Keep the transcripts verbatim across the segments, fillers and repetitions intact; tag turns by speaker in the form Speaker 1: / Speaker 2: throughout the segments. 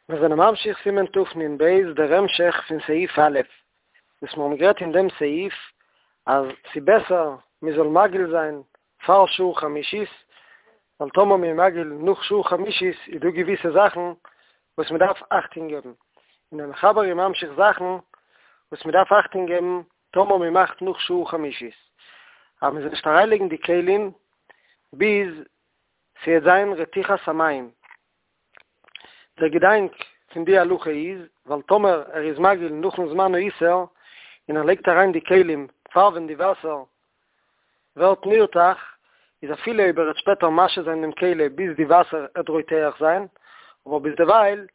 Speaker 1: מיר זענען ממשיך סימן תנ"ב, דער המשך פון סעיף א', וואס מיר האבן גערעדט אין דעם סעיף אז ס'בעסער מען זאל מגעיל זיין פאר שעה חמישית, ווייל טאמער מ'איז מגעיל נאך שעה חמישית איז דא געוויסע זאכן וואס מען דארף אכטונג געבן, און דער מחבר איז ממשיך זאכן וואס מען דארף אכטונג געבן טאמער מען מאכט נאך שעה חמישית, אז מען זאל נישט אריינלייגן די כלים ביז ס'וועט זיין רתיחת המים. דער געדאנק פון די הלכה איז, ווייל טאמער ער איז מגעיל נאכן זמן האיסור, און ער לייגט אריין די כלים פאר ווען די וואסער ווערט נרתח, איז אפילו אויב ער וועט שפעטער משהה זיין דעם כלי ביז די וואסער עט רותח זיין, אבער ביזדערווייל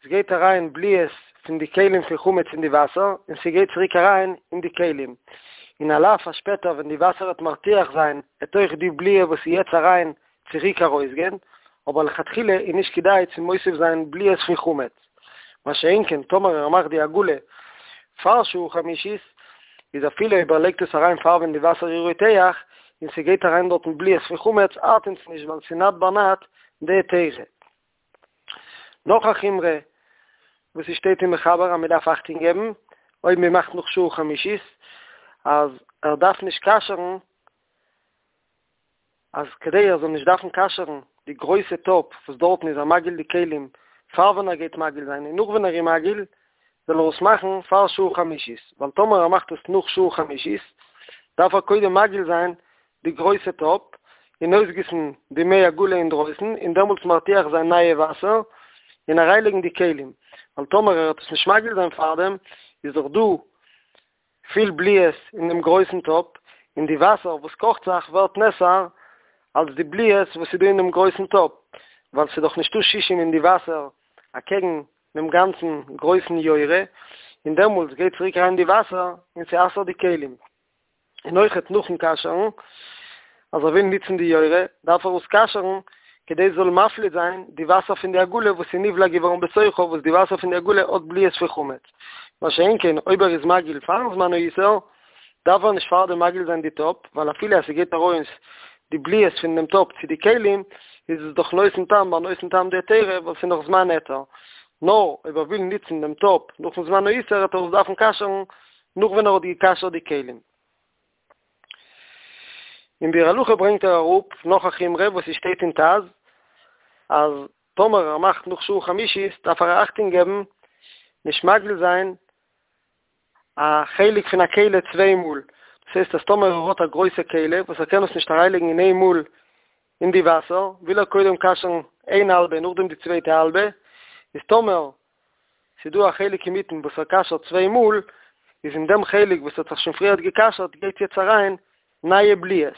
Speaker 1: עס גייט אריין בליעות פון די כלים פון חמץ אין די וואסער, און ס'גייט צוריק אריין אין די כלים, און על אף אז שפעטער ווען די וואסער וועט מרתיח זיין, עט אויך די בליעה וואס איז יעצט אריין צוריק ארויסגיין, אבער לכתחילה איז נישט כדאי צו מוסיף זיין בליעות פון חמץ. מה שאין כן טאמער ער מאכט די הגעלה פאר שעה חמישית, איז אפילו אויב ער לייגט עס אריין פאר ווען די וואסער איז רותח, און ס'גייט אריין דארטן בליעות פון חמץ, ארט אונז נישט ווייל ס'איז נאט בר נאט דהיתרא. נאך א חומרא וואס ס'שטייט אין מחבר אז מ'דארף אכטונג געבן אויב מ'מאכט נאך שעה חמישית, אז ער דארף נישט כשר'ן, אז כדי ער זאל נישט דארפן כשר'ן די גרויסע טאפ וואס דארטן איז ער מגעיל די כלים פאר ווען ער גייט מגעיל זיין און נאך ווען ער איז מגעיל, זאל ער עס מאכן פאר שעה חמישית, ווייל טאמער ער מאכט עס נאך שעה חמישית, דארף ער קודם מגעיל זיין די גרויסע טאפ און אויסגיסן די מי הגעלה אינדרויסן און דעמאלטס מרתיח זיין נייע וואסער און אריינלייגן די כלים, ווייל טאמער ער וועט עס נישט מגעיל זיין פארדעם איז דאך דא פיל בליעות אין דעם גרויסן טאפ, און די וואסער וואס קאכט זיך ווערט נאסר אלס די בליעות וואס איז דא אין דעם גרויסן טאפ, ווייל ס'איז דאך נישטא שישים אין די וואסער אקעגן דעם גאנצן גרויסן יורה, און דעמאלטס גייט צוריק אריין די וואסער און ס'אסר'ט די כלים. און אויכעט נאכן כשר'ן, אז ער וויל נוצן די יורה, דארף ער עס כשר'ן, כדי עס זאל מפליט זיין די וואסער פון די הגעלה וואס איז נבלע געווארן בתוכה, וואס די וואסער פון די הגעלה האט בליעות פון חמץ. מה שאין כן, אויב ער איז מגעיל פארן זמן האיסור, דארף ער נישט פארדעם מגעיל זיין די טאפ, ווייל אפילו אז ס'גייט ארויס די בליעות פון דעם טאפ צו די כלים, איז עס דאך נותן טעם ביי נותן טעם דהיתרא, ווייל ס'איז נאך זמן היתר. נאר אויב ער וויל נוצן דעם טאפ נאכן זמן האיסור, וועט ער עס דארפן כשר'ן נאך ווען ער האט גע'כשר'ט די כלים. אין ביאור הלכה ברענגט ער אראפ נאך א חומרא וואס עס שטייט אין ט"ז, אז טאמער ער מאכט נאך שעה חמישית דארף ער אכטונג געבן נישט מגעיל זיין א חלק פון א כלי צוויי מאל, דאס הייסט אז טאמער ער האט א גרויסע כלי וואס ער קען עס נישט אריינלייגן אין איין מאל אין די וואסער, וויל ער קודם כשר'ן איין האלבע נאכדעם די צווייטע האלבע, איז טאמער ס'איז דא א חלק אינמיטן וואס ער כשר'ט צוויי מאל, איז אין דעם חלק וואס האט זיך שוין פריערט געכשר'ט גייט יעצט אריין נייע בליעות.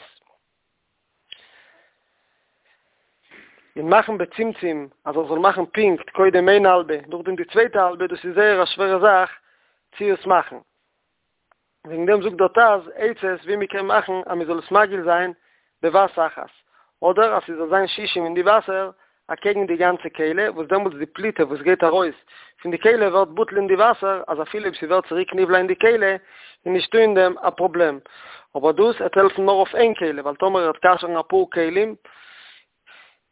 Speaker 1: און מאכן בצמצום אז ער זאל מאכן פונקט קודם איין האלבע נאכדעם די צווייטע האלבע דאס איז זייער א שווערע זאך צו עס מאכן. וועגן דעם זאגט דער ט"ז עצות ווי מען קען מאכן אז מען זאל עס מגעיל זיין בבת אחת, אדער אז ס'זאל זיין שישים אין די וואסער אקעגן די גאנצע כלי, וואס דעמאלטס די פליטה וואס גייט ארויס פון די כלי ווערט בטל אין די וואסער, אז אפילו אויב ס'ווערט צוריק נבלע אין די כלי איז נישטא אין דעם א פראבלעם. אבער דאס עט העלפן נאר אויף איין כלי, ווייל טאמער ער וועט כשר'ן אפאר כלים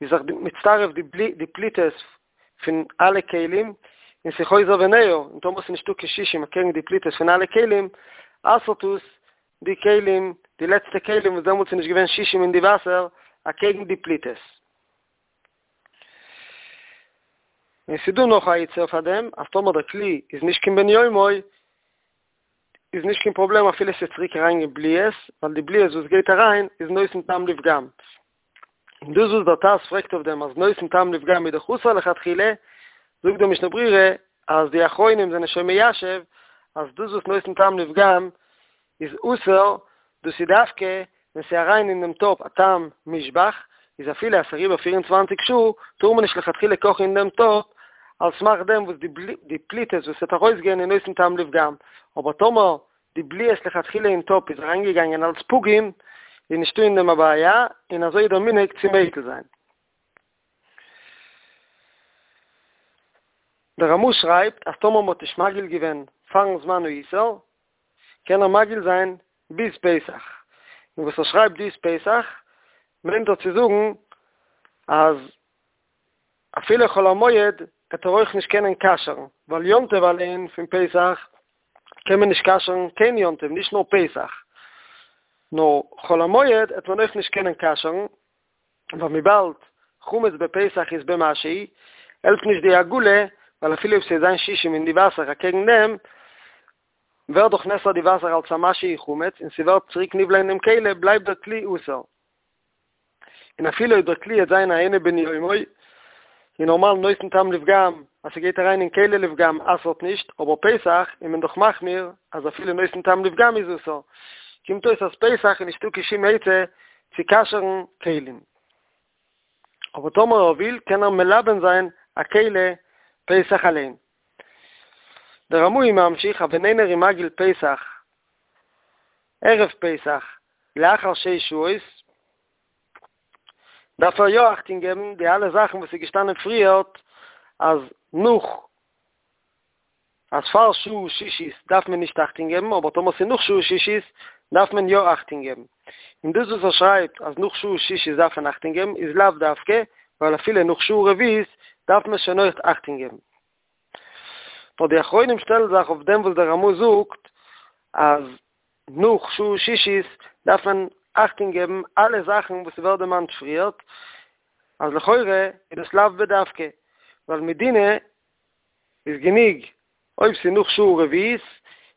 Speaker 1: איז זיך מצטרף די פליטות פון אלע כלים, און ס'איז חוזר וניעור, און טאמער ס'איז נישטא קיין שישים אקעגן די פליטות פון אלע כלים, אסר'ט עס די כלים, די לעצטע כלים וואס דעמאלטס איז נישט געווען שישים אין די וואסער אקעגן די פליטות. און ס'איז דא נאך א עצה פאר דעם, אז טאמער דער כלי איז נישט קיין בן יומו, איז נישט קיין פראבלעם אפילו ס'איז צוריק אריינגיין בליעות, ווייל די בליעות וואס גייט אריין איז נותן טעם לפגם. און דאס וואס דער ט"ז פרעגט אויף דעם אז נותן טעם לפגם איז דאך אסור לכתחילה, זאגט דער משנה ברורה אז די אחרונים זענען שוין מיישב אז דאס וואס נותן טעם לפגם איז אסור, דאס איז דווקא ווען ס'איז אריין אין דעם טאפ א טעם מושבח, איז אפילו אז ס'איז אריבער פֿיר און צוואַנציק שעה, טאר מען נישט לכתחילה קאכן אין דעם טאפ, על סמך דעם וואס די פליטות וואס וועט ארויסגיין איז נותן טעם לפגם, אבער טאמער די בליעות לכתחילה אין טאפ איז אריינגעגאנגען אלס פגום, איז נישטא אין דעם א בעיה, און אזוי איז דער מנהג צו מיקל זיין. דער רמ"א שרייבט אז טאמער מ'האט נישט מגעיל געווען פארן זמן האיסור, קען ער מגעיל זיין ביז פסח, און וואס ער שרייבט ביז פסח מיינט ער צו זאגן אז אפילו חול המועד וועט ער אויך נישט קענען כשר'ן, ווייל יום טוב אליין פון פסח קען מען נישט כשר'ן קיין יום טוב, נישט נאר פסח, נאר חול המועד וועט מען אויך נישט קענען כשר'ן, ווייל וויבאלד חמץ בפסח איז במשהו, העלפט נישט די הגעלה, ווייל אפילו אויב ס'וועט זיין שישים אין די וואסער אקעגן דעם, ווערט דאך נאסר די וואסער אלס א משהו חמץ און ס'ווערט צוריק נבלע אין דעם כלי, בלייבט דער כלי אסור. און אפילו אויב דער כלי וועט זיין א אינו בן יומו, איז נארמאל נותן טעם לפגם, אז ס'גייט אריין אין כלי לפגם אסר'ט נישט, אבער פסח איז מען דאך מחמיר אז אפילו נותן טעם לפגם איז אסור. קומט אויס אז פסח איז נישטא קיין שום עצה צו כשר'ן כלים. אבער טאמער ער וויל קען ער מלבן זיין א כלי פסח אליין. דער רמ"א איז ממשיך אז ווען איינער איז מגעיל פסח ערב פסח לאחר שש שעות דארף ער יא אכטונג געבן די אלע זאכן וואס איז געשטאנען פריערט אז נאך אז פאר שעה שישית דארף מען נישט אכטונג געבן, אבער טאמער ס'איז נאך שעה שישית דארף מען יא אכטונג געבן. און דאס וואס ער שרייבט אז נאך שעה שישית דארף מען אכטונג געבן איז לאו דווקא, ווייל אפילו נאך שעה רביעית דארף מען שוין אויך אכטונג געבן. נאר די אחרונים שטעלן זיך אויף דעם וואס דער רמ"א זאגט אז נאך שעה שישית דארף מען אכטונג געבן אלע זאכן וואס ס'ווערט דערמאנט פריערט, אז לכאורה איז דאס לאו בדווקא, ווייל מדינא איז גענוג אויב ס'איז נאך שעה רביעית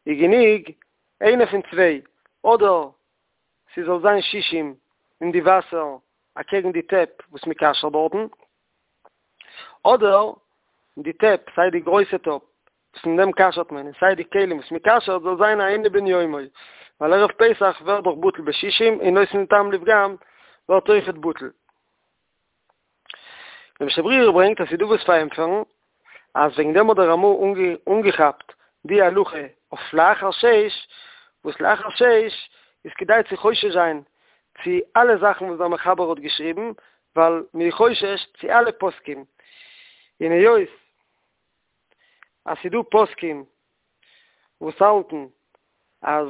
Speaker 1: איז גענוג איינע פון צוויי, אדער ס'זאל זיין שישים אין די וואסער אקעגן די טעפ וואס מ'כשר'ט דארטן, אדער די טעפ, סיי די גרויסע טאפ וואס אין דעם כשר'ט מען, און סיי די כלים וואס מ'כשר'ט זאל זיין א אינו בן יומו, ווייל ערב פסח ווערט דאך בטל בשישים און נותן טעם לפגם ווערט אויכעט בטל. דער משנה ברורה ברענגט אז ס'איז דא וואס פארענטפערן אז וועגן דעם האט דער רמ"א אנגעכאפט די הלכה אויף לאחר שש, וואס לאחר שש איז כדאי צו חושש זיין צו אלע זאכן וואס דער מחבר האט געשריבן, ווייל מ'איז חושש צו אלע פוסקים, און היות אז ס'איז דא פוסקים וואס האלטן אז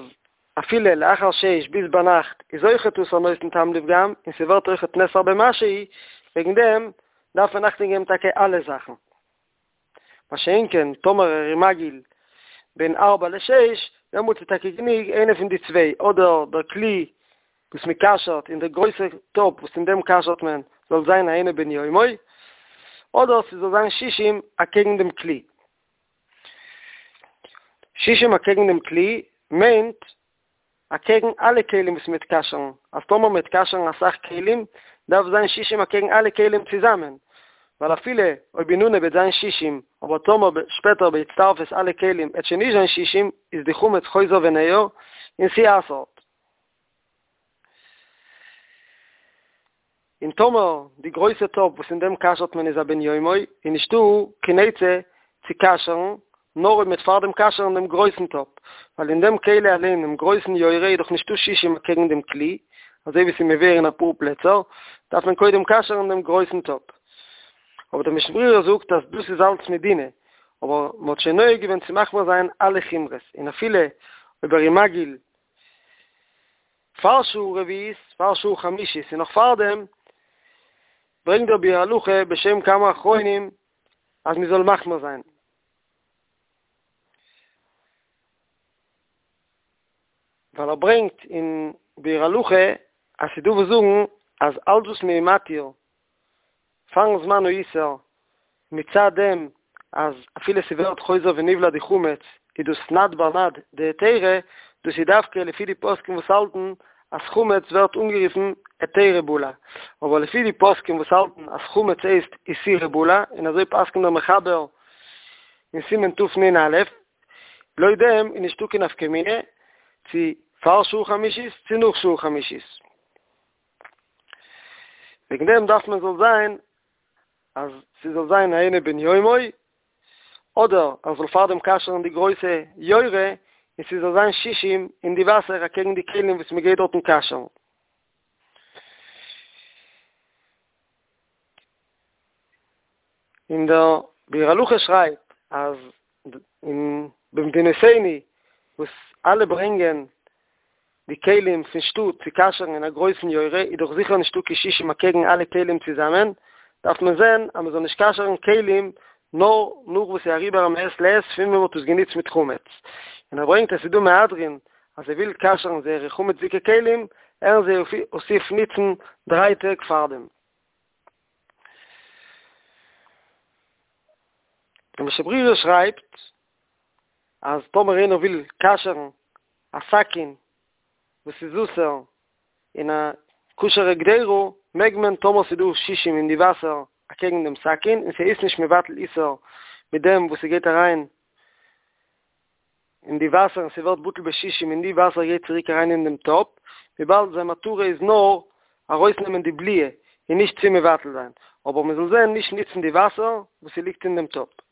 Speaker 1: אפילו לאחר שש ביז ביינאכט איז אויכעט אסור נותן טעם לפגם און ס'ווערט אויכעט נאסר במשהו, וועגן דעם דארף מען אכטונג געבן טאקע אלע זאכן. מה שאין כן טאמער ער איז מגעיל בין ארבע לשש, דעמאלטס איז טאקע גענוג איינע פון די צוויי, אדער דער כלי וואס מען כשר'ט און דער גרויסע טאפ וואס אין דעם כשר'ט מען זאל זיין א אינו בן יומו, אדער ס'זאל זיין שישים אקעגן דעם כלי. שישים אקעגן דעם כלי מיינט אקעגן אלע כלים וואס מ'וועט כשר'ן, אז טאמער מ'וועט כשר'ן אסאך כלים דארף זיין שישים אקעגן אלע כלים צוזאמען, ווייל אפילו אויב אין אנהייב וועט זיין שישים, אבער טאמער שפעטער בהצטרפות אלע כלים וועט שוין נישט זיין שישים, איז די חמץ חוזר וניעור און ס'אסר'ט. און טאמער די גרויסע טאפ וואס אין דעם כשר'ט מען איז א בן יומו, איז נישטא קיין עצה צו כשר'ן, נאר אויב מ'וועט פארדעם כשר'ן דעם גרויסן טאפ, ווייל אין דעם כלי אליין, דעם גרויסן יורה, איז דאך נישטא שישים אקעגן דעם כלי, אזוי ווי ס'איז מבואר אין אפאר פלעצער, דארף מען קודם כשר'ן דעם גרויסן טאפ. אבער דער משנה ברורה זאגט אז דאס איז אלץ מדינא, אבער מ'האט שוין נוהג געווען צו מחמיר זיין אלע חומרות, און אפילו אויב ער איז מגעיל פאר שעה רביעית, פאר שעה חמישית און נאך פארדעם, ברענגט דער ביאור הלכה בשם כמה אחרונים אז מ'זאל מחמיר זיין. ווייל ער ברענגט אין ביאור הלכה אז ס'דא וואס זאגן אז אלץ וואס מ'איז מתיר פארן זמן האיסור מצד דעם אז אפילו ס'ווערט חוזר ונבלע די חמץ איז דאס נד בר נד דהיתרא, דאס איז דווקא לפי די פוסקים וואס האלטן אז חמץ ווערט אנגערופן היתרא בלע, אבער לפי די פוסקים וואס האלטן אז חמץ הייסט איסורא בלע, און אזוי פסק'נט דער מחבר אין סימן תנ"א, לויט דעם איז נישטא קיין נפקא מינה צו פאר שעה חמישית צו נאך שעה חמישית. וועגן דעם דארף מען זאל זיין אז ס'זאל זיין א אינו בן יומו, אדער ער זאל פארדעם כשר'ן די גרויסע יורה און ס'זאל זיין שישים אין די וואסער אקעגן די כלים וואס מ'גייט דארטן כשר'ן. און דער ביאור הלכה שרייבט אז אין במדינותינו וואס אלע ברענגען די כלים פון שטאט צו כשר'ן אין א גרויסן יורה איז דאך זיכער נישטא קיין שישים אקעגן אלע כלים צוזאמען, דארף מען זען אז מען זאל נישט כשר'ן כלים נאר נאך וואס ס'איז אריבער א מעת לעת פון ווען מ'האט עס גענוצט מיט חמץ, און ער ברענגט אז ס'איז דא מהדרין אז זיי וויל כשר'ן זייערע חמצ'דיגע כלים, הערן זיי אויף ניצן דריי טעג פארדעם. דער משנה ברורה שרייבט אז טאמער איינער וויל כשר'ן א סכין וואס איז אסור אין א כשר'ע קדירה, מעג מען טאמער ס'איז דא שישים אין די וואסער אקעגן דעם סכין און ס'איז נישט מבטל איסור מיט דעם וואס ס'גייט אריין אין די וואסער און ס'ווערט בטל בשישים און די וואסער גייט צוריק אריין אין דעם טאפ, וויבאלד זיין מטרה איז נאר ארויסנעמען די בליעה און נישט צו מבטל זיין, אבער מ'זאל זען נישט ניצן די וואסער וואס ס'ליגט אין דעם טאפ.